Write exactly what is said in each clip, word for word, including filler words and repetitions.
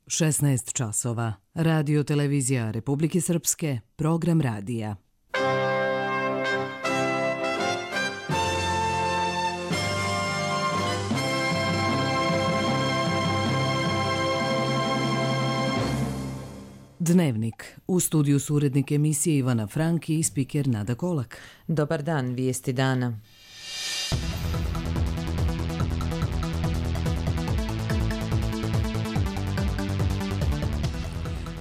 šesnaest časova. Radio televizija Republike Srpske, program radija. Dnevnik. U studiju su urednik emisije Ivana Frank i spiker Nada Kolak. Dobar dan, vijesti dana.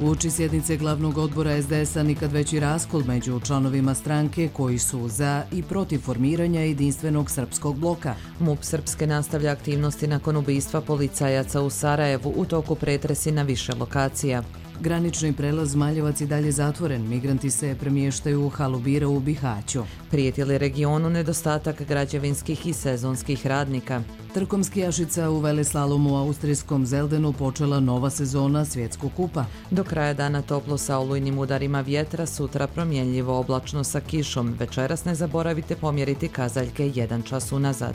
Uoči sjednice glavnog odbora es de es a nikad veći raskol među članovima stranke koji su za i protiv formiranja jedinstvenog srpskog bloka. MUP Srpske nastavlja aktivnosti nakon ubistva policajaca u Sarajevu, u toku pretresi na više lokacija. Granični prelaz Maljevac i dalje zatvoren, migranti se premještaju u halu bira u Bihaću. Prijeti li regionu nedostatak građevinskih i sezonskih radnika? Trkom skijašica u veleslalomu u austrijskom Zeldenu počela nova sezona svjetskog kupa. Do kraja dana toplo sa olujnim udarima vjetra, sutra promjenljivo oblačno sa kišom. Večeras ne zaboravite pomjeriti kazaljke jedan čas unazad.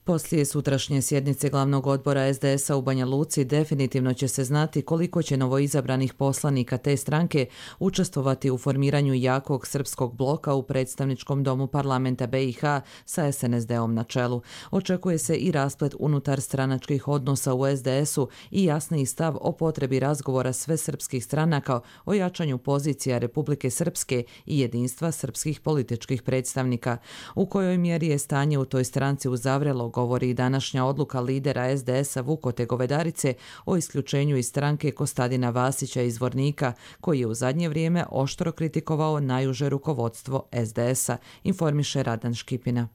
Poslije sutrašnje sjednice glavnog odbora es de es a u Banja Luci definitivno će se znati koliko će novoizabranih poslanika te stranke učestvovati u formiranju jakog srpskog bloka u predstavničkom domu parlamenta be i ha sa es en es de-om na čelu. Očekuje se i rasplet unutar stranačkih odnosa u es de es u i jasniji stav o potrebi razgovora sve srpskih stranaka o jačanju pozicija Republike Srpske i jedinstva srpskih političkih predstavnika. U kojoj mjeri je stanje u toj stranci uzavrelo, govori i današnja odluka lidera es de es a Vukote Govedarice o isključenju iz stranke Kostadina Vasića iz Zvornika, koji je u zadnje vrijeme oštro kritikovao najuže rukovodstvo es de es a, informiše Radan Škipina.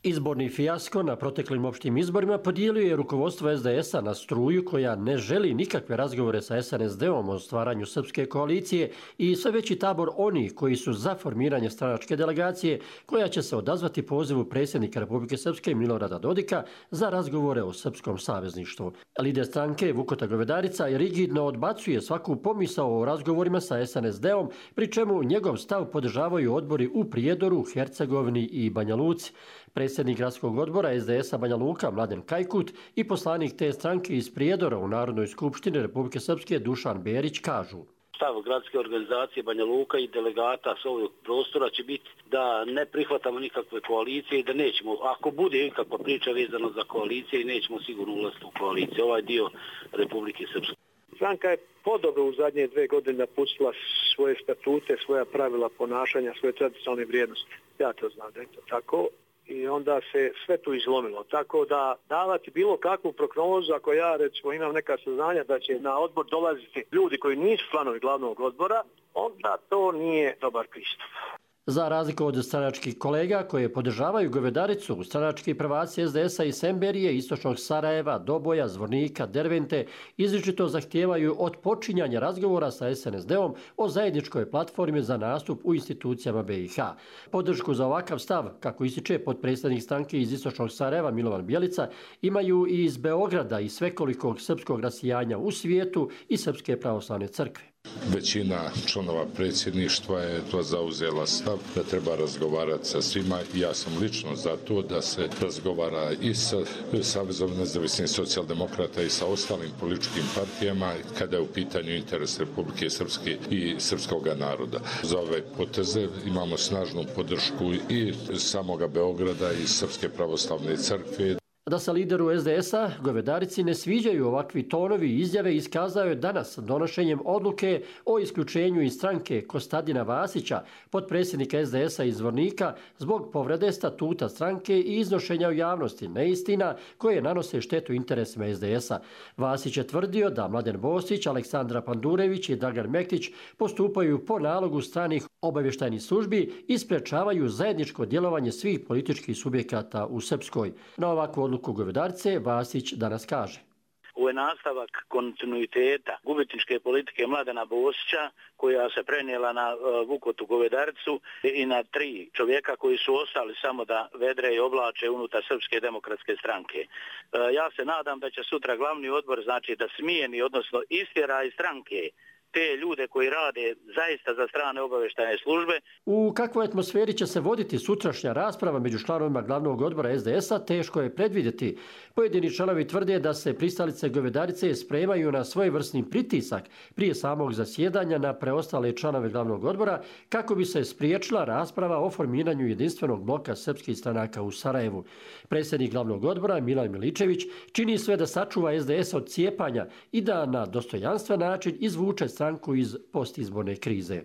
Izborni fijasko na proteklim opštim izborima podijelio je rukovodstvo es de es a na struju koja ne želi nikakve razgovore sa es en es de-om o stvaranju srpske koalicije i sve veći tabor onih koji su za formiranje stranačke delegacije koja će se odazvati pozivu predsjednika Republike Srpske Milorada Dodika za razgovore o srpskom savezništvu. Lider stranke Vukota Govedarica rigidno odbacuje svaku pomisao o razgovorima sa es en es de-om, pri čemu njegov stav podržavaju odbori u Prijedoru, Hercegovini i Banja Luci. Predsjednik gradskog odbora es de es a Banja Luka Mladen Kajkut i poslanik te stranke iz Prijedora u Narodnoj skupštini Republike Srpske Dušan Berić kažu: Stav gradske organizacije Banja Luka i delegata s ovog prostora će biti da ne prihvatamo nikakve koalicije i da nećemo, ako bude ikakva priča vezana za koalicije, i nećemo sigurno ulaziti u koaliciju. Ovaj dio Republike Srpske. Stranka je podobno u zadnje dve godine napustila svoje statute, svoja pravila ponašanja, svoje tradicionalne vrijednosti. Ja to znam da je to tako. I onda se sve tu izlomilo. Tako da davati bilo kakvu prognozu, ako ja recimo imam neka saznanja da će na odbor dolaziti ljudi koji nisu članovi glavnog odbora, onda to nije dobar pristup. Za razliku od stranačkih kolega koje podržavaju Govedaricu, stranački prvaci es de es a i Semberije, istočnog Sarajeva, Doboja, Zvornika, Dervente izričito zahtijevaju odpočinjanja razgovora sa es en es de-om o zajedničkoj platformi za nastup u institucijama be i ha. Podršku za ovakav stav, kako ističe potpredsjednik stranke iz istočnog Sarajeva Milovan Bjelica, imaju i iz Beograda i svekolikog srpskog rasijanja u svijetu i Srpske pravoslavne crkve. Većina članova predsjedništva je to zauzela stav da treba razgovarati sa svima. Ja sam lično za to da se razgovara i sa Savezom nezavisnih socijaldemokrata i sa ostalim političkim partijama kada je u pitanju interes Republike Srpske i srpskog naroda. Za ove poteze imamo snažnu podršku i samoga Beograda i Srpske pravoslavne crkve. Da se lideru es de es a Govedarici ne sviđaju ovakvi tonovi i izjave iskazao je danas donošenjem odluke o isključenju iz stranke Kostadina Vasića, potpredsjednika es de es a iz Zvornika, zbog povrede statuta stranke i iznošenja u javnosti neistina koje nanose štetu interesima es de es a. Vasić je tvrdio da Mladen Bosić, Aleksandra Pandurević i Dragan Mektić postupaju po nalogu stranih obavještajnih službi i sprečavaju zajedničko djelovanje svih političkih subjekata u Srpskoj. Na ovakvu odluku Govedarice Vasić danas kaže: Ovo je nastavak kontinuiteta gubitničke politike Mladena Bosića koja se prenijela na uh, Vukotu Govedaricu i na tri čovjeka koji su ostali samo da vedre i oblače unutar Srpske demokratske stranke. Uh, ja se nadam da će sutra glavni odbor znači da smijeni, odnosno istjera iz stranke te ljude koji rade zaista za strane obavještajne službe. U kakvoj atmosferi će se voditi sutrašnja rasprava među članovima glavnog odbora es de esa, teško je predvidjeti. Pojedini članovi tvrde da se pristalice Govedarice spremaju na svojevrsni pritisak prije samog zasjedanja na preostale članove glavnog odbora kako bi se spriječila rasprava o formiranju jedinstvenog bloka srpskih stranaka u Sarajevu. Predsjednik glavnog odbora Milan Miličević čini sve da sačuva es de es od cijepanja i da na dostojanstven način izvuče stranku iz postizborne krize.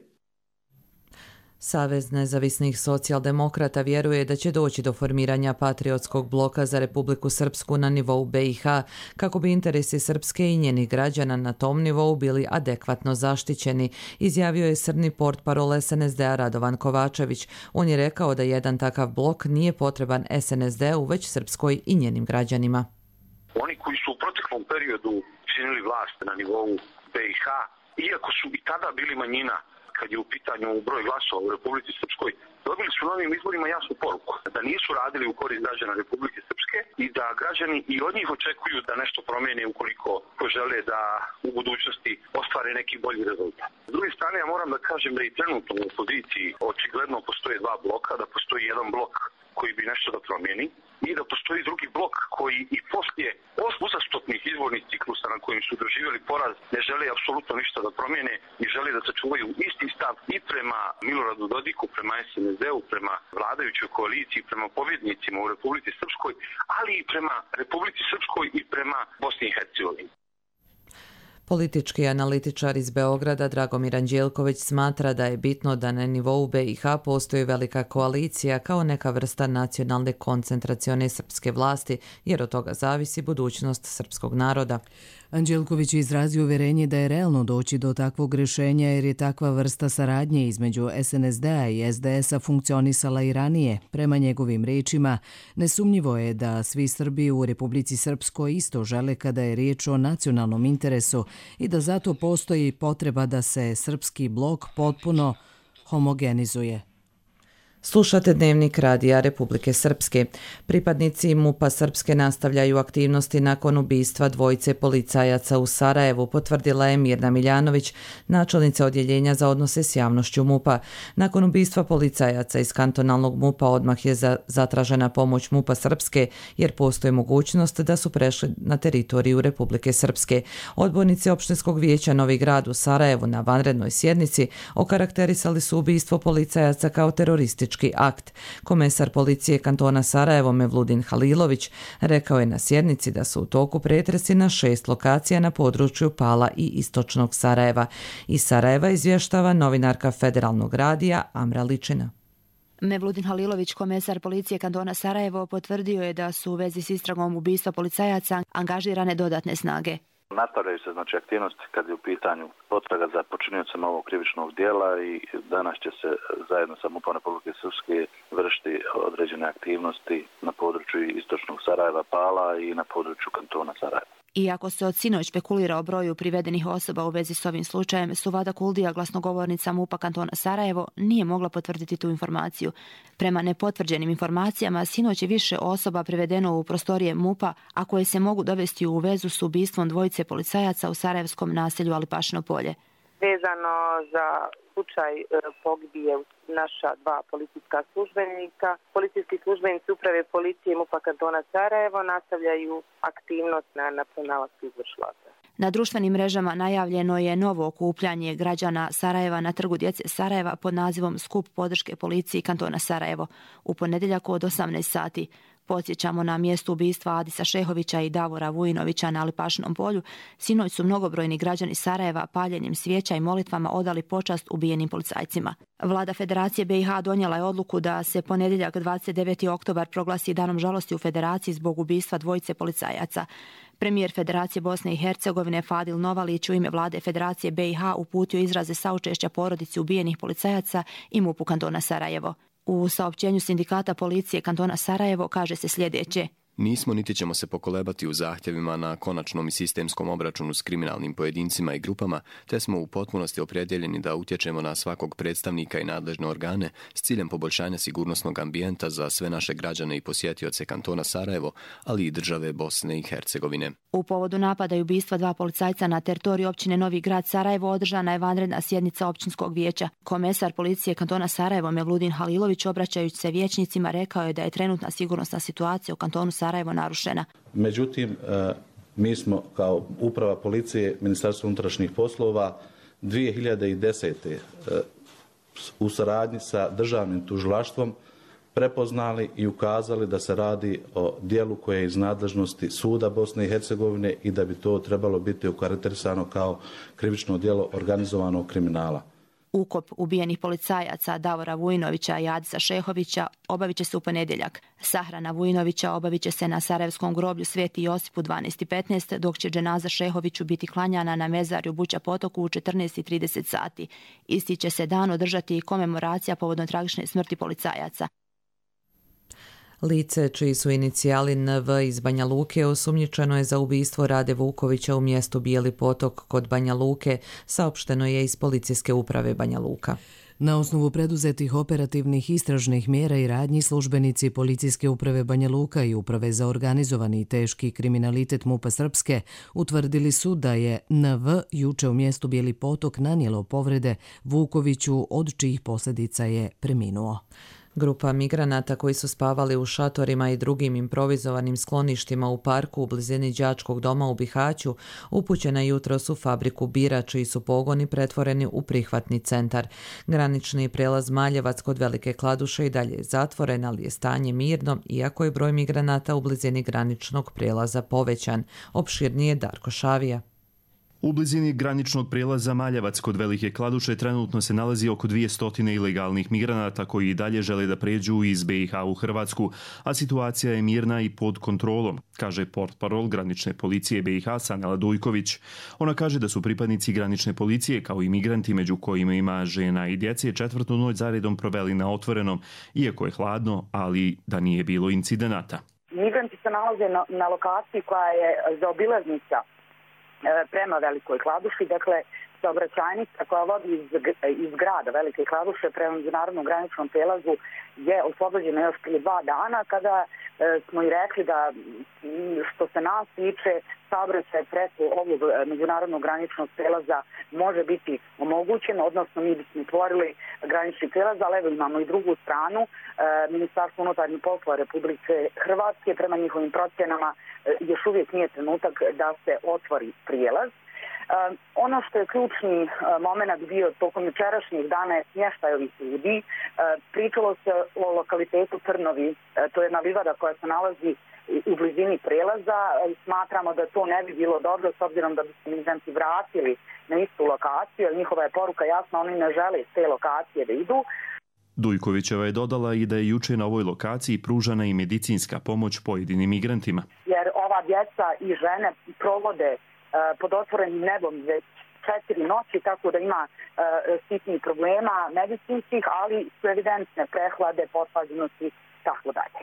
Savez nezavisnih socijaldemokrata vjeruje da će doći do formiranja patriotskog bloka za Republiku Srpsku na nivou be i ha, kako bi interesi Srpske i njenih građana na tom nivou bili adekvatno zaštićeni, izjavio je srni portparol es en es de a Radovan Kovačević. On je rekao da jedan takav blok nije potreban es en es de u, već Srpskoj i njenim građanima. Oni koji su u proteklom periodu činili vlast na nivou be i ha, iako su i tada bili manjina kad je u pitanju broj glasova u Republici Srpskoj, dobili su novim izborima jasnu poruku da nisu radili u korist građana Republike Srpske i da građani i od njih očekuju da nešto promijene ukoliko žele da u budućnosti ostvare neki bolji rezultat. S druge strane, ja moram da kažem da i trenutno u opoziciji očigledno postoje dva bloka, da postoji jedan blok koji bi nešto da promijeni i da postoji drugi blok koji i poslije uzastopnih izbornih ciklusa na kojim su doživjeli poraz ne žele apsolutno ništa da promijene i žele da sačuvaju isti stav i prema Miloradu Dodiku, prema es en es de-u, prema vladajućoj koaliciji, prema pobjednicima u Republici Srpskoj, ali i prema Republici Srpskoj i prema Bosni i Hercegovini. Politički analitičar iz Beograda Dragomir Anđelković smatra da je bitno da na nivou be i ha postoji velika koalicija kao neka vrsta nacionalne koncentracione srpske vlasti, jer od toga zavisi budućnost srpskog naroda. Anđelković je izrazio uvjerenje da je realno doći do takvog rješenja jer je takva vrsta saradnje između es en es de-a i es de esa funkcionisala i ranije. Prema njegovim riječima, nesumnjivo je da svi Srbi u Republici Srpskoj isto žele kada je riječ o nacionalnom interesu i da zato postoji potreba da se srpski blok potpuno homogenizuje. Slušate Dnevnik radija Republike Srpske. Pripadnici MUP-a Srpske nastavljaju aktivnosti nakon ubistva dvojice policajaca u Sarajevu, potvrdila je Mirna Miljanović, načelnica odjeljenja za odnose s javnošću MUP-a. Nakon ubistva policajaca iz kantonalnog MUP-a odmah je za, zatražena pomoć MUP-a Srpske, jer postoji mogućnost da su prešli na teritoriju Republike Srpske. Odbornici opštinskog vijeća Novi Grad u Sarajevu na vanrednoj sjednici okarakterisali su ubistvo policajaca kao teroristički akt. Komesar policije kantona Sarajevo Mevludin Halilović rekao je na sjednici da su u toku pretresi na šest lokacija na području Pala i istočnog Sarajeva. Iz Sarajeva izvještava novinarka Federalnog radija Amra Ličina. Mevludin Halilović, komesar policije kantona Sarajevo, potvrdio je da su u vezi s istragom ubistva policajaca angažirane dodatne snage. Nastavljaju se znači aktivnosti kad je u pitanju potraga za počiniocima ovog krivičnog dijela i danas će se zajedno sa MUP-om Republike Srpske vršiti određene aktivnosti na području istočnog Sarajeva, Pala i na području kantona Sarajeva. Iako se od sinoć špekulira o broju privedenih osoba u vezi s ovim slučajem, Suvada Kuldija, glasnogovornica MUP-a kantona Sarajevo, nije mogla potvrditi tu informaciju. Prema nepotvrđenim informacijama, sinoć je više osoba privedeno u prostorije MUP-a, a koje se mogu dovesti u vezu s ubistvom dvojice policajaca u sarajevskom naselju Alipašino polje. Vezano za slučaj pogibije naša dva policijska službenika, policijski službenici uprave policije MUP-a kantona Sarajevo nastavljaju aktivnost na, na pronalasku izvršilaca. Na društvenim mrežama najavljeno je novo okupljanje građana Sarajeva na Trgu djece Sarajeva pod nazivom Skup podrške policiji kantona Sarajevo u ponedjeljak od osamnaest sati. Podsjećamo, na mjestu ubistva Adisa Šehovića i Davora Vujinovića na Alipašinom polju, sinoć su mnogobrojni građani Sarajeva paljenjem svijeća i molitvama odali počast ubijenim policajcima. Vlada Federacije be i ha donijela je odluku da se ponedjeljak dvadeset deveti oktobar proglasi danom žalosti u Federaciji zbog ubistva dvojice policajaca. Premijer Federacije Bosne i Hercegovine Fadil Novalić u ime vlade Federacije be i ha uputio izraze saučešća porodici ubijenih policajaca i MUP-u kantona Sarajevo. U saopćenju sindikata policije kantona Sarajevo kaže se sljedeće: Nismo niti ćemo se pokolebati u zahtjevima na konačnom i sistemskom obračunu s kriminalnim pojedincima i grupama, te smo u potpunosti opredjeljeni da utječemo na svakog predstavnika i nadležne organe s ciljem poboljšanja sigurnosnog ambijenta za sve naše građane i posjetioce kantona Sarajevo, ali i države Bosne i Hercegovine. U povodu napada i ubistva dva policajca na teritoriji općine Novi Grad Sarajevo održana je vanredna sjednica općinskog vijeća. Komesar policije kantona Sarajevo Mevludin Halilović, obraćajući se vijećnicima, rekao je da je trenutna sigurnosna situacija u kantonu Sarajevo narušena. Međutim, mi smo kao uprava policije Ministarstva unutrašnjih poslova dvije hiljade desete. u saradnji sa državnim tužilaštvom prepoznali i ukazali da se radi o dijelu koje je iz nadležnosti suda Bosne i Hercegovine i da bi to trebalo biti okarakterisano kao krivično djelo organizovanog kriminala. Ukop ubijenih policajaca Davora Vujinovića i Adisa Šehovića obavit će se u ponedjeljak. Sahrana Vujinovića obavit će se na Sarajevskom groblju Sveti Josip u dvanaest i petnaest, dok će dženaza Šehoviću biti klanjana na mezarju Buća Potoku u četrnaest i trideset sati. Isti će se dan održati i komemoracija povodom tragične smrti policajaca. Lice čiji su inicijali N V iz Banja Luke osumnjičeno je za ubistvo Rade Vukovića u mjestu Bijeli Potok kod Banja Luke, saopšteno je iz Policijske uprave Banja Luka. Na osnovu preduzetih operativnih istražnih mjera i radnji službenici Policijske uprave Banja Luka i Uprave za organizovani i teški kriminalitet MUP-a Srpske utvrdili su da je N V juče u mjestu Bijeli Potok nanijelo povrede Vukoviću, od čijih posljedica je preminuo. Grupa migranata koji su spavali u šatorima i drugim improvizovanim skloništima u parku u blizini đačkog doma u Bihaću upućena jutros u fabriku bira, čiji su pogoni pretvoreni u prihvatni centar. Granični prijelaz Maljevac kod Velike Kladuše i dalje je zatvoren, ali je stanje mirno, iako je broj migranata u blizini graničnog prijelaza povećan. Opširnije Darko Šavija. U blizini graničnog prijelaza Maljevac kod Velike Kladuše trenutno se nalazi oko dvjesto ilegalnih migranata koji i dalje žele da pređu iz B i H u Hrvatsku, a situacija je mirna i pod kontrolom, kaže portparol granične policije B i H Sanela Dujković. Ona kaže da su pripadnici granične policije kao i migranti, među kojima ima žena i djece, četvrtu noć zaredom proveli na otvorenom, iako je hladno, ali da nije bilo incidenata. Migranti se nalaze na, na lokaciji koja je zaobilaznica prema Velikoj Kladuši, dakle saobraćajnica koja vodi iz, iz grada Velike Kladuše prema međunarodnom graničnom prijelazu je oslobođena još prije dva dana, kada e, smo i rekli da što se nas tiče saobraćaj preko ovog međunarodnog graničnog prijelaza može biti omogućen, odnosno mi bismo otvorili granični prijelaz, ali evo imamo i drugu stranu. E, Ministarstvo unutarnjih poslova Republike Hrvatske prema njihovim procjenama e, još uvijek nije trenutak da se otvori prijelaz. Uh, ono što je ključni uh, moment bio tokom jučerašnjeg dana je smještaj ovih ljudi. Uh, pričalo se o lokalitetu Trnovi, uh, to je jedna livada koja se nalazi u blizini prelaza. Uh, smatramo da to ne bi bilo dobro s obzirom da bi se migranti vratili na istu lokaciju, jer njihova je poruka jasna, oni ne žele s te lokacije da idu. Dujkovićeva je dodala i da je juče na ovoj lokaciji pružana i medicinska pomoć pojedinim migrantima. Jer ova djeca i žene provode pod otvorenim nebom već četiri noći, tako da ima uh, sitnih problema medicinskih, ali su evidentne prehlade, pothlađenosti, tako dalje.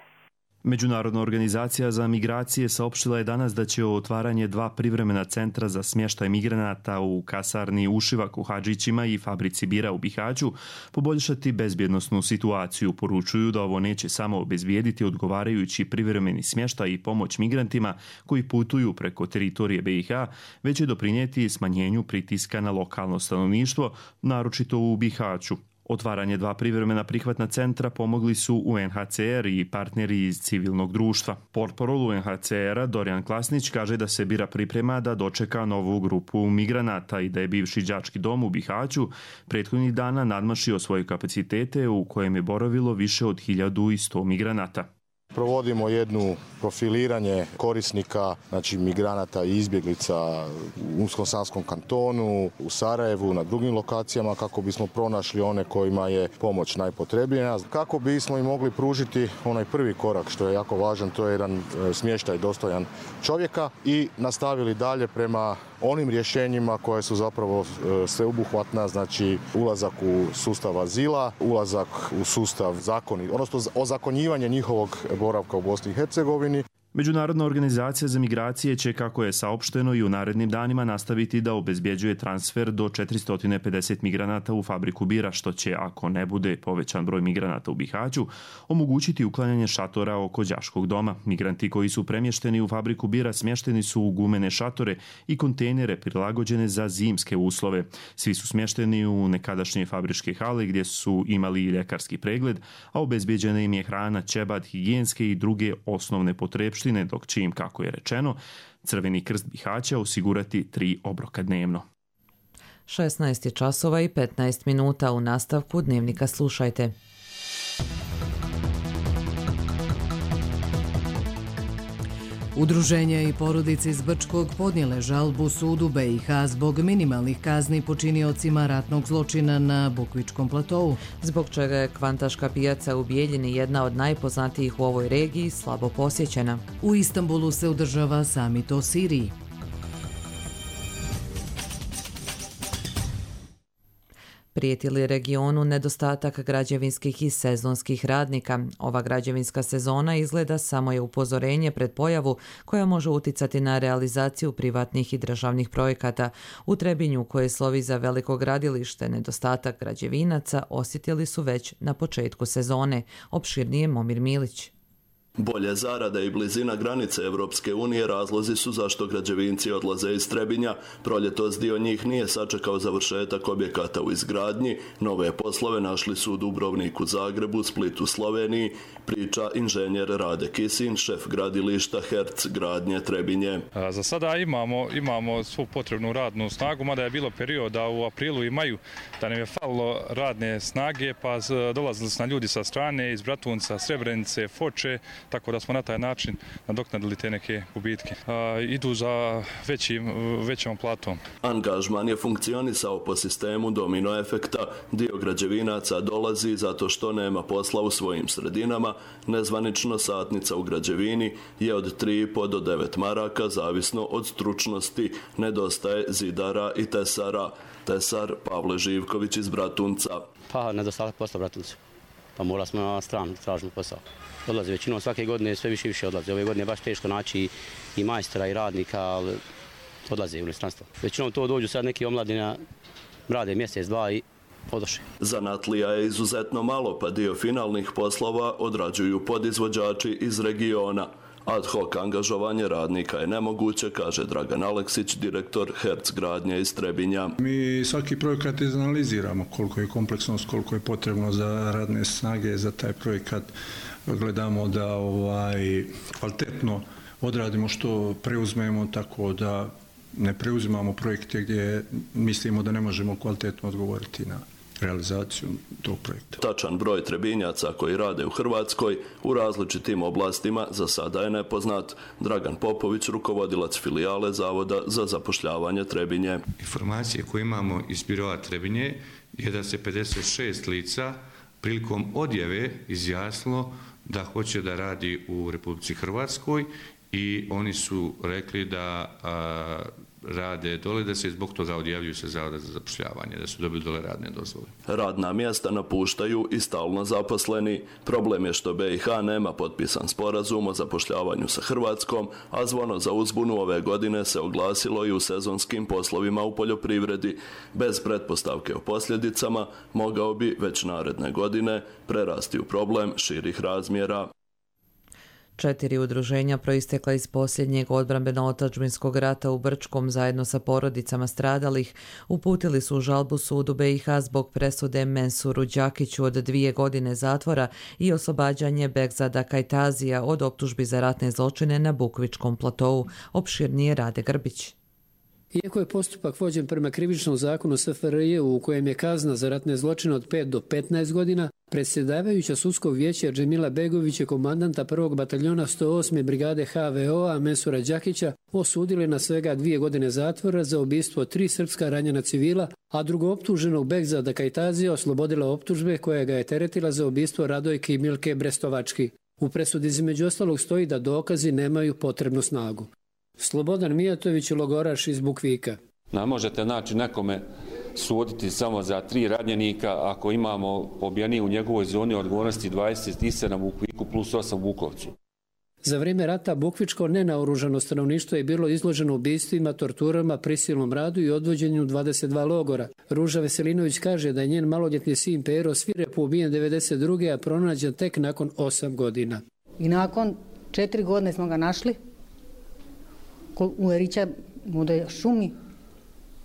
Međunarodna organizacija za migracije saopštila je danas da će otvaranje dva privremena centra za smještaj migranata u kasarni Ušivak u Hadžićima i fabrici bira u Bihaću poboljšati bezbjednosnu situaciju. Poručuju da ovo neće samo obezbijediti odgovarajući privremeni smještaj i pomoć migrantima koji putuju preko teritorije B i H, već će doprinijeti smanjenju pritiska na lokalno stanovništvo, naročito u Bihaću. Otvaranje dva privremena prihvatna centra pomogli su U N H C R i partneri iz civilnog društva. Portparol U N H C R-a Dorijan Klasnić kaže da se bira priprema da dočeka novu grupu migranata i da je bivši đački dom u Bihaću prethodnih dana nadmašio svoje kapacitete u kojem je boravilo više od hiljadu i sto migranata. Provodimo jednu profiliranje korisnika, znači migranata i izbjeglica u Unsko-Sanskom kantonu, u Sarajevu, na drugim lokacijama kako bismo pronašli one kojima je pomoć najpotrebnija. Kako bismo i mogli pružiti onaj prvi korak što je jako važan, to je jedan smještaj dostojan čovjeka i nastavili dalje prema onim rješenjima koje su zapravo sveobuhvatna, znači ulazak u sustav azila, ulazak u sustav zakoni, odnosno ozakonjivanje njihovog boravka u Bosni i Hercegovini. Međunarodna organizacija za migracije će, kako je saopšteno, i u narednim danima nastaviti da obezbjeđuje transfer do četiristo pedeset migranata u fabriku bira, što će, ako ne bude povećan broj migranata u Bihaću, omogućiti uklanjanje šatora oko đaškog doma. Migranti koji su premješteni u fabriku bira smješteni su u gumene šatore i kontejnere prilagođene za zimske uslove. Svi su smješteni u nekadašnje fabričke hale gdje su imali i ljekarski pregled, a obezbjeđena im je hrana, ćebad, higijenske i druge osnovne potrebštine, dok će im, kako je rečeno, Crveni krst Bihaća osigurati tri obroka dnevno. šesnaest je časova i petnaest minuta. U nastavku Dnevnika slušajte. Udruženja i porodice iz Brčkog podnijele žalbu sudu B i H zbog minimalnih kazni počiniocima ratnog zločina na Bukvičkom platovu. Zbog čega je kvantaška pijaca u Bijeljini, jedna od najpoznatijih u ovoj regiji, slabo posjećena. U Istanbulu se održava samit o Siriji. Prijeti li regionu nedostatak građevinskih i sezonskih radnika? Ova građevinska sezona izgleda samo je upozorenje pred pojavu koja može uticati na realizaciju privatnih i državnih projekata. U Trebinju, koje slovi za veliko gradilište, nedostatak građevinaca osjetili su već na početku sezone. Opširnije Momir Milić. Bolje zarade i blizina granice Evropske unije razlozi su zašto građevinci odlaze iz Trebinja. Proljetos dio njih nije sačekao završetak objekata u izgradnji. Nove poslove našli su u Dubrovniku, Zagrebu, Splitu, Sloveniji, priča inženjer Rade Kisin, šef gradilišta Herc gradnje Trebinje. Za sada imamo, imamo svu potrebnu radnu snagu, mada je bilo perioda u aprilu i maju da nam je falilo radne snage, pa dolazili su na ljudi sa strane, iz Bratunca, Srebrenice, Foče, tako da smo na taj način nadoknadili te neke gubitke. A, idu za većim, većom platom. Angažman je funkcionisao po sistemu domino efekta. Dio građevinaca dolazi zato što nema posla u svojim sredinama. Nezvanično satnica u građevini je od tri i po do devet maraka, zavisno od stručnosti. Nedostaje zidara i tesara. Tesar Pavle Živković iz Bratunca. Pa, nedostatak posla Bratunca. Pa mora smo na stranu, tražimo posao. Odlaze većinom svake godine, sve više i više odlaze. Ove godine je baš teško naći i majstora i radnika, ali odlaze u inostranstvo. Većinom to dođu sad neki omladina, rade mjesec, dva i odoše. Zanatlija je izuzetno malo, pa dio finalnih poslova odrađuju podizvođači iz regiona. Ad hoc angažovanje radnika je nemoguće, kaže Dragan Aleksić, direktor Herc gradnje iz Trebinja. Mi svaki projekat izanaliziramo koliko je kompleksnost, koliko je potrebno za radne snage za taj projekat. Gledamo da ovaj, kvalitetno odradimo što preuzmemo, tako da ne preuzimamo projekte gdje mislimo da ne možemo kvalitetno odgovoriti na realizaciju tog projekta. Tačan broj Trebinjaca koji rade u Hrvatskoj u različitim oblastima za sada je nepoznat. Dragan Popović, rukovodilac filijale Zavoda za zapošljavanje Trebinje. Informacije koje imamo iz biroa Trebinje je da se pedeset šest lica prilikom odjave izjasnilo da hoće da radi u Republici Hrvatskoj i oni su rekli da a, rade dole, da se zbog toga odjavljuju se Zavoda za zapošljavanje, da su dobili dole radne dozvole. Radna mjesta napuštaju i stalno zaposleni. Problem je što B i H nema potpisan sporazum o zapošljavanju sa Hrvatskom, a zvono za uzbunu ove godine se oglasilo i u sezonskim poslovima u poljoprivredi. Bez pretpostavke o posljedicama mogao bi već naredne godine prerasti u problem širih razmjera. Četiri udruženja proistekla iz posljednjeg odbrambeno-otadžbinskog rata u Brčkom zajedno sa porodicama stradalih uputili su žalbu sudu B i H zbog presude Mensuru Đakiću od dvije godine zatvora i oslobađanje Begzada Kajtazija od optužbi za ratne zločine na Bukvičkom platovu. Opširnije Rade Grbić. Iako je postupak vođen prema krivičnom zakonu S F R J u kojem je kazna za ratne zločine od pet do petnaest godina, predsjedavajuća sudskog vijeća Džemila Begović je komandanta prvog bataljona sto osme brigade H V O-a Mensura Đakića osudili na svega dvije godine zatvora za ubistvo tri srpska ranjena civila, a drugooptuženog Begzada Kajtazija oslobodila optužbe koja ga je teretila za ubistvo Radojke i Milke Brestovački. U presudi između ostalog stoji da dokazi nemaju potrebnu snagu. Slobodan Mijatović, logoraš iz Bukvika. Ne možete naći nekome suditi samo za tri ranjenika ako imamo pobijeni u njegovoj zoni odgovornosti dvadeset sedam u Bukviku plus osam u Bukovcu. Za vrijeme rata bukvičko nenaoružano stanovništvo je bilo izloženo ubistvima, torturama, prisilnom radu i odvođenju u dvadeset dva logora. Ruža Veselinović kaže da je njen maloljetni sin Pero svirepo ubijen devedeset druge a pronađen tek nakon osam godina. I nakon četiri godine smo ga našli u Erića, u šumi,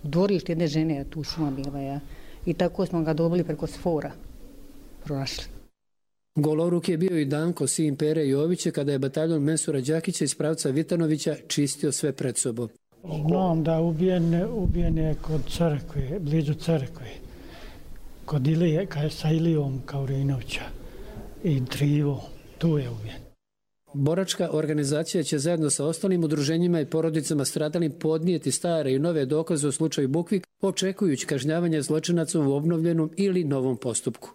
u dvorištu jedne žene, tu šuma bila. Ja. I tako smo ga dobili preko sfora, pronašli. Goloruk je bio i Danko, sin Pere Jovića, kada je bataljon Mensura Đakića iz pravca Vitanovića čistio sve pred sobom. Znam da ubijen, ubijen je kod crkve, blizu crkve, kod Ilije, sa Ilijom Kaurinovića i Trivo, tu je ubijen. Boračka organizacija će zajedno sa ostalim udruženjima i porodicama stradalim podnijeti stare i nove dokaze u slučaju Bukvik, očekujući kažnjavanje zločinaca u obnovljenom ili novom postupku.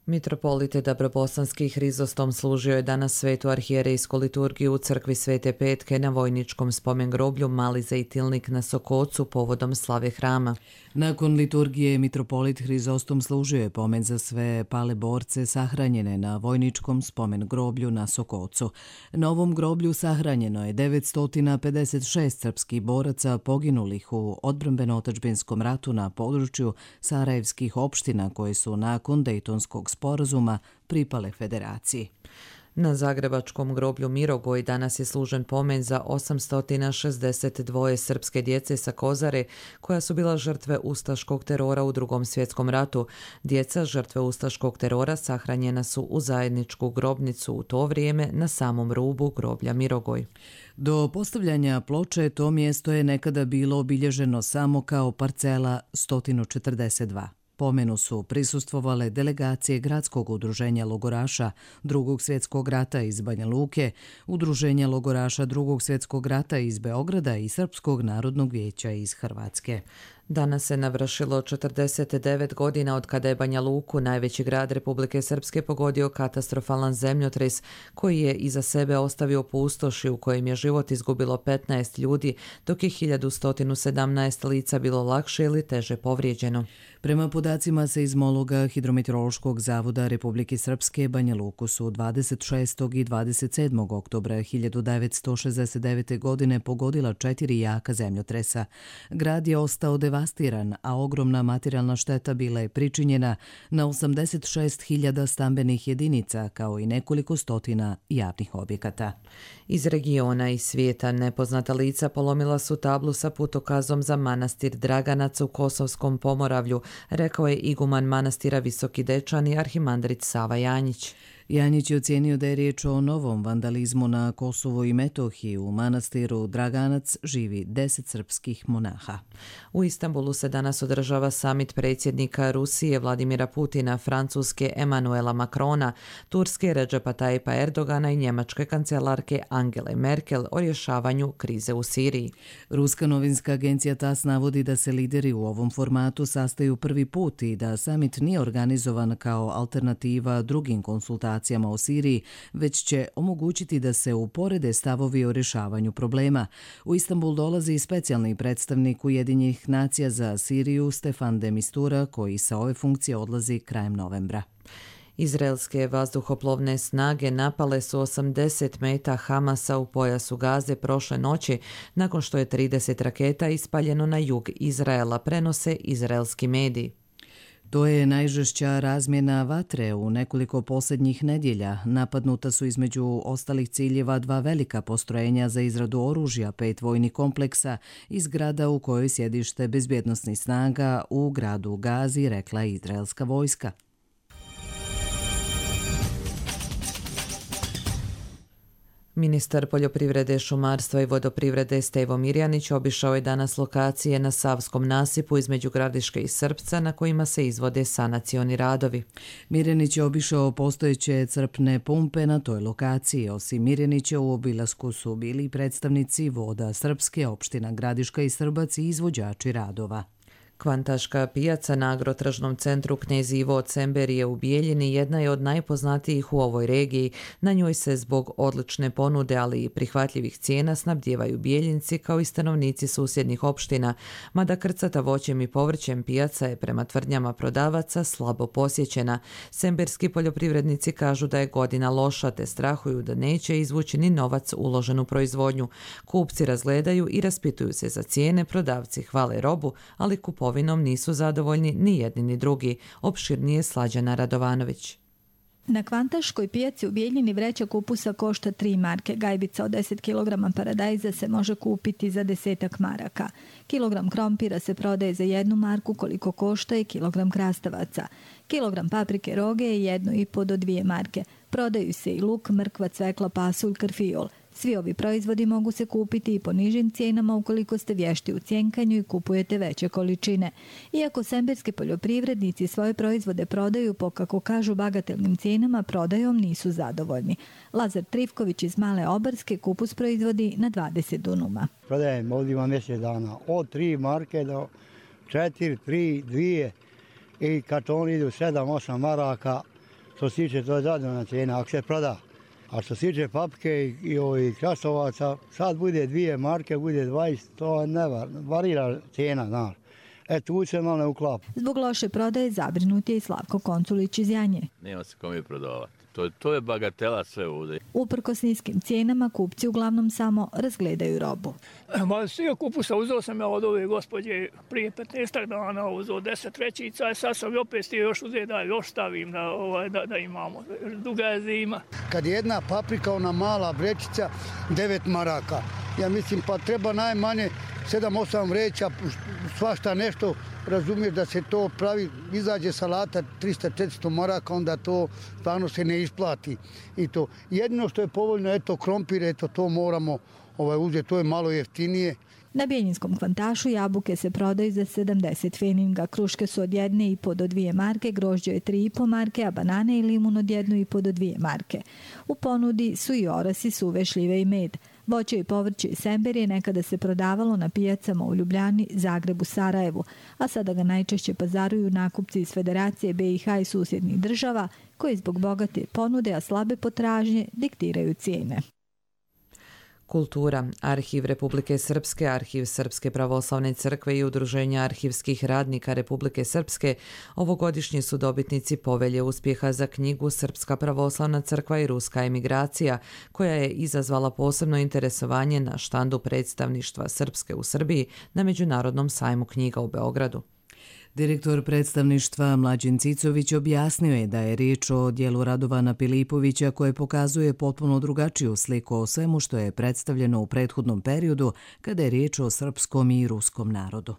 Mitropolite Dabrobosanski Hrizostom služio je danas svetu arhijerejsku liturgiju u crkvi Svete Petke na vojničkom spomen groblju Mali Zejtilnik na Sokocu povodom slave hrama. Nakon liturgije mitropolit Hrizostom služio je pomen za sve pale borce sahranjene na vojničkom spomen groblju na Sokocu. Na ovom groblju sahranjeno je devetsto pedeset šest srpskih boraca poginulih u odbrambeno-otadžbinskom ratu na području sarajevskih opština koje su nakon Dejtonskog sporazuma pripale federaciji. Na zagrebačkom groblju Mirogoj danas je služen pomen za osamsto šezdeset dva srpske djece sa Kozare koja su bila žrtve ustaškog terora u Drugom svjetskom ratu. Djeca žrtve ustaškog terora sahranjena su u zajedničku grobnicu u to vrijeme na samom rubu groblja Mirogoj. Do postavljanja ploče to mjesto je nekada bilo obilježeno samo kao parcela sto četrdeset dva. Pomenu su prisustvovale delegacije Gradskog udruženja logoraša Drugog svjetskog rata iz Banja Luke, Udruženja logoraša Drugog svjetskog rata iz Beograda i Srpskog narodnog vijeća iz Hrvatske. Danas se navršilo četrdeset devet godina od kada je Banja Luku, najveći grad Republike Srpske, pogodio katastrofalan zemljotres koji je iza sebe ostavio pustoš i u kojem je život izgubilo petnaest ljudi, dok je hiljadu sto sedamnaest lica bilo lakše ili teže povrijeđeno. Prema podacima seizmologa Hidrometeorološkog zavoda Republike Srpske, Banja Luku su dvadeset šestog i dvadeset sedmog oktobra hiljadu devetsto šezdeset devete. godine pogodila četiri jaka zemljotresa. Grad je ostao devastiran, a ogromna materijalna šteta bila je pričinjena na osamdeset šest hiljada stambenih jedinica, kao i nekoliko stotina javnih objekata. Iz regiona i svijeta nepoznata lica polomila su tablu sa putokazom za manastir Draganac u Kosovskom Pomoravlju, rekao je iguman manastira Visoki Dečani arhimandrit Sava Janjić. Janjić je ocijenio da je riječ o novom vandalizmu na Kosovu i Metohiji. U manastiru Draganac živi deset srpskih monaha. U Istanbulu se danas održava samit predsjednika Rusije Vladimira Putina, Francuske Emanuela Macrona, Turske Redžepa Tajipa Erdogana i njemačke kancelarke Angele Merkel o rješavanju krize u Siriji. Ruska novinska agencija T A S navodi da se lideri u ovom formatu sastaju prvi put i da samit nije organizovan kao alternativa drugim konsultacijama o Siriji, već će omogućiti da se uporede stavovi o rješavanju problema. U Istanbul dolazi specijalni predstavnik Ujedinjenih nacija za Siriju Stefan de Mistura, koji sa ove funkcije odlazi krajem novembra. Izraelske vazduhoplovne snage napale su osamdeset meta Hamasa u pojasu Gaze prošle noći, nakon što je trideset raketa ispaljeno na jug Izraela, prenose izraelski mediji. To je najžešća razmjena vatre u nekoliko posljednjih nedjelja. Napadnuta su između ostalih ciljeva dva velika postrojenja za izradu oružja, pet vojnih kompleksa i zgrada u kojoj sjedište bezbjednosnih snaga u gradu Gazi, rekla je izraelska vojska. Ministar poljoprivrede, šumarstva i vodoprivrede Stevo Mirjanić obišao je danas lokacije na Savskom nasipu između Gradiške i Srpca na kojima se izvode sanacioni radovi. Mirjanić je obišao postojeće crpne pumpe na toj lokaciji. Osim Mirjanića u obilasku su bili predstavnici voda Srpske, opština Gradiška i Srbac i izvođači radova. Kvantaška pijaca na agrotržnom centru Knez Ivo Cemberije u Bijeljini jedna je od najpoznatijih u ovoj regiji. Na njoj se zbog odlične ponude, ali i prihvatljivih cijena snabdijevaju Bijeljinci kao i stanovnici susjednih opština, mada krcata voćem i povrćem pijaca je prema tvrdnjama prodavaca slabo posjećena. Semberski poljoprivrednici kažu da je godina loša te strahuju da neće izvući ni novac uložen u proizvodnju. Kupci razgledaju i raspituju se za cijene, prodavci hvale robu, ali kupovnici Ovinom nisu zadovoljni ni jedni ni drugi. Opširnije Slađana Radovanović. Na Kvantaškoj pijaci u Bijeljini vreća kupusa košta tri marke. Gajbica od deset kilograma paradajza se može kupiti za desetak maraka. Kilogram krompira se prodaje za jednu marku, koliko košta i kilogram krastavaca. Kilogram paprike roge je jedno i po do dvije marke. Prodaju se i luk, mrkva, cvekla, pasulj, karfiol. Svi ovi proizvodi mogu se kupiti i po nižim cijenama ukoliko ste vješti u cjenkanju i kupujete veće količine. Iako semberski poljoprivrednici svoje proizvode prodaju po, kako kažu, bagatelnim cijenama, prodajom nisu zadovoljni. Lazar Trivković iz Male Obarske kupus proizvodi na dvadeset dunuma. Prodajem ovdje ima mjesec dana. Od tri marke do četiri, tri, dvije i kartoni idu sedam, osam maraka. Što se tiče, to je zadovoljna cijena ako se proda. A što se tiče paprike i, i ovih krastovaca, sad bude dvije marke, bude dvadeset, to ne var, varira cijena, znaš. E, tu se malo ne uklapa. Zbog loše prodaje zabrinut je i Slavko Konculić iz Janje. Nema se kome prodavati. To, to je bagatela sve ovdje. Uprkos niskim cijenama, kupci uglavnom samo razgledaju robu. Ma, svi kupusa uzeo sam ja od ove gospođe prije petnaest dana, uzeo deset vrećica, sad sam opet stio još uzeti da još stavim da, ovaj, da, da imamo. Duga je zima. Kad je jedna paprika, ona mala vrećica, devet maraka. Ja mislim, pa treba najmanje sedam osam vreća, svašta nešto, razumiješ da se to pravi, izađe salata trista četiristo maraka, onda to stvarno se ne isplati. I to jedino što je povoljno, eto krompir, eto to moramo ovaj, uzeti, to je malo jeftinije. Na Bijeljinskom Kvantašu jabuke se prodaju za sedamdeset feninga, kruške su od jedne i po do dvije marke, grožđe je tri i po marke, a banane i limun od jednu i po do dvije marke. U ponudi su i orasi, suve šljive i med. Voće i povrće iz Semberije nekada se prodavalo na pijacama u Ljubljani, Zagrebu, Sarajevu, a sada ga najčešće pazaruju nakupci iz Federacije B i H i susjednih država, koji zbog bogate ponude, a slabe potražnje, diktiraju cijene. Kultura. Arhiv Republike Srpske, Arhiv Srpske pravoslavne crkve i Udruženja arhivskih radnika Republike Srpske ovogodišnji su dobitnici povelje uspjeha za knjigu Srpska pravoslavna crkva i ruska emigracija, koja je izazvala posebno interesovanje na štandu predstavništva Srpske u Srbiji na Međunarodnom sajmu knjiga u Beogradu. Direktor predstavništva Mlađen Cicović objasnio je da je riječ o dijelu Radovana Pilipovića koje pokazuje potpuno drugačiju sliku o svemu što je predstavljeno u prethodnom periodu kada je riječ o srpskom i ruskom narodu.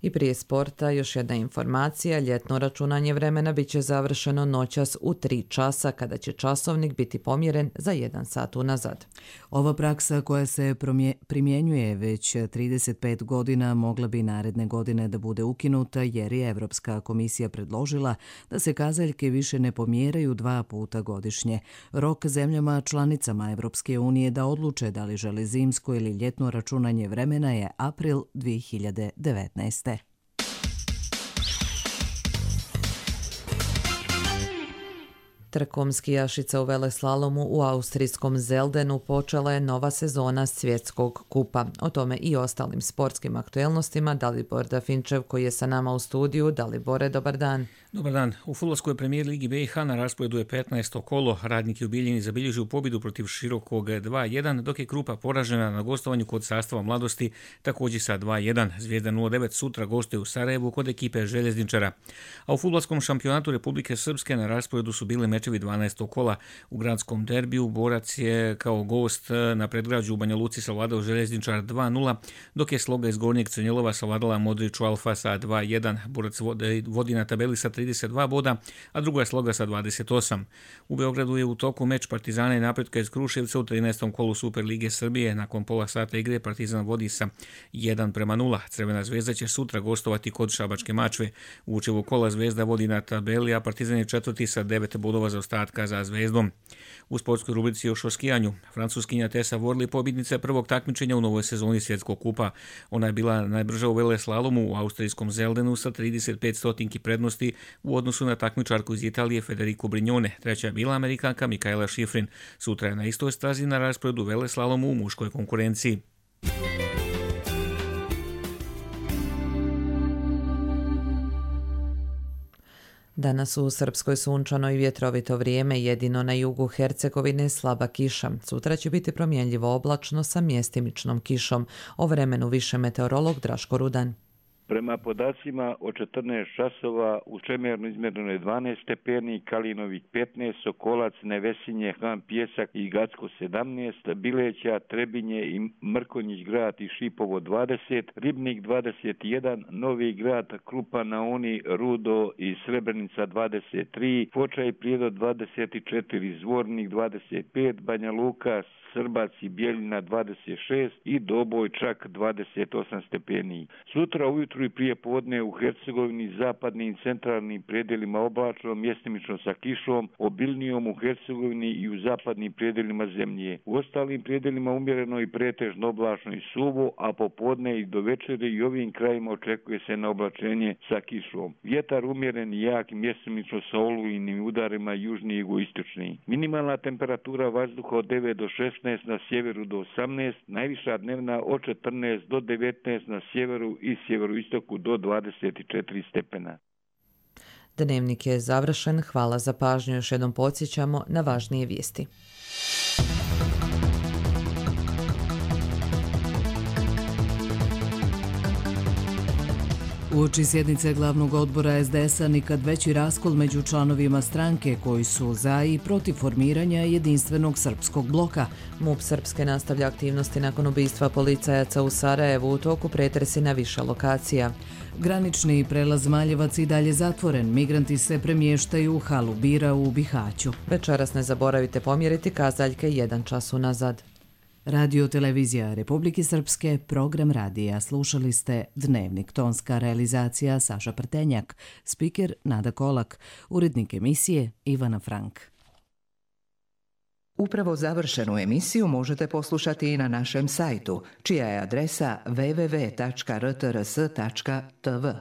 I prije sporta još jedna informacija, ljetno računanje vremena bit će završeno noćas u tri časa kada će časovnik biti pomjeren za jedan sat unazad. Ova praksa koja se primjenjuje već trideset pet godina mogla bi naredne godine da bude ukinuta jer je Evropska komisija predložila da se kazaljke više ne pomjeraju dva puta godišnje. Rok zemljama članicama Evropske unije da odluče da li žele zimsko ili ljetno računanje vremena je april dvije hiljade devetnaeste. Trkom skijašica u veleslalomu u austrijskom Zeldenu počela je nova sezona svjetskog kupa. O tome i ostalim sportskim aktuelnostima Dalibor Dafinčev koji je sa nama u studiju. Dalibore, dobar dan. Dobar dan. U fudbalskoj premijer ligi B i H na rasporedu je petnaesto kolo. Radnik je u Bijeljini zabilježio pobjedu protiv Širokog dva jedan, dok je Krupa poražena na gostovanju kod Sastava Mladosti također sa dva jedan. Zvijezda nula devet sutra gostuje u Sarajevu kod ekipe Željezničara. A u fudbalskom šampionatu Republike Srpske na rasporedu su bile mečevi dvanaestog kola. U gradskom derbiju Borac je kao gost na predgrađu u Banja Luci savladao Željezničar dva nula, dok je Sloga iz Gornjeg Crnjelova savladala Modriću Alfa sa dva jedan. Borac vodi na tabeli sa trideset dva boda, a druga je Sloga sa dvadeset osam. U Beogradu je u toku meč Partizana i Napretka iz Kruševca u trinaestom kolu Super Lige Srbije. Nakon pola sata igre Partizan vodi sa jedan prema nula. Crvena zvezda će sutra gostovati kod Šabačke Mačve. U učivu kola Zvezda vodi na tabeli, a Partizan je četvrti sa devet bodova bodova zaostatka za Zvezdom. U sportskoj rubrici još o skijanju. Francuskinja Tessa Worley pobjednica prvog takmičenja u novoj sezoni svjetskog kupa. Ona je bila najbrža u veleslalomu u austrijskom Zeldenu sa trideset pet stotinki prednosti u odnosu na takmičarku iz Italije Federico Brignone. Treća je bila Amerikanka Mikaela Schifrin. Sutra je na istoj stazi na rasporedu veleslalomu u muškoj konkurenciji. Danas u Srpskoj sunčano i vjetrovito vrijeme, jedino na jugu Hercegovine slaba kiša. Sutra će biti promjenljivo oblačno sa mjestimičnom kišom. O vremenu više meteorolog Draško Rudan. Prema podacima od četrnaest časova u Čemernu izmjereno je dvanaest stepeni, Kalinovik petnaest, Sokolac, Nevesinje, Han, Pjesak i Gacko sedamnaest, Bileća, Trebinje i Mrkonjić grad i Šipovo dvadeset, Ribnik dvadeset jedan, Novi grad, Krupa na Uni, Rudo i Srebrenica dvadeset tri, Foča i Prijedor dvadeset četiri, Zvornik dvadeset pet, Banja Luka, Srbac i Bjeljina dvadeset šest i Doboj čak dvadeset osam stepeni. Sutra ujutru i prije podne u Hercegovini, zapadnim i centralnim predjelima oblačno, mjestimično sa kišom, obilnijom u Hercegovini i u zapadnim predjelima zemlje. U ostalim predjelima umjereno i pretežno oblačno i suvo, a popodne i do večere i ovim krajima očekuje se na oblačenje sa kišom. Vjetar umjeren i jak, mjestimično sa olujnim udarima južni i jugoistočni. Minimalna temperatura vazduha od devet do šesnaest, na sjeveru do osamnaest, najviša dnevna od četrnaest do devetnaest na sjeveru i sjeveroistoku do dvadeset četiri stepena. Dnevnik je završen. Hvala za pažnju. Još jednom podsjećamo na važnije vijesti. Uoči sjednice glavnog odbora es de es a nikad veći raskol među članovima stranke koji su za i protiv formiranja jedinstvenog srpskog bloka. MUP Srpske nastavlja aktivnosti nakon ubistva policajaca u Sarajevu, u toku pretresi na više lokacija. Granični prelaz Maljevac i dalje zatvoren, migranti se premještaju u halu bira u Bihaću. Večeras ne zaboravite pomjeriti kazaljke jedan čas unazad. Radio Televizija Republike Srpske, program radija. Slušali ste Dnevnik, tonska realizacija Saša Prtenjak, spiker Nada Kolak, urednik emisije Ivana Frank. Upravo završenu emisiju možete poslušati i na našem sajtu, čija je adresa w w w tačka r t r s tačka t v.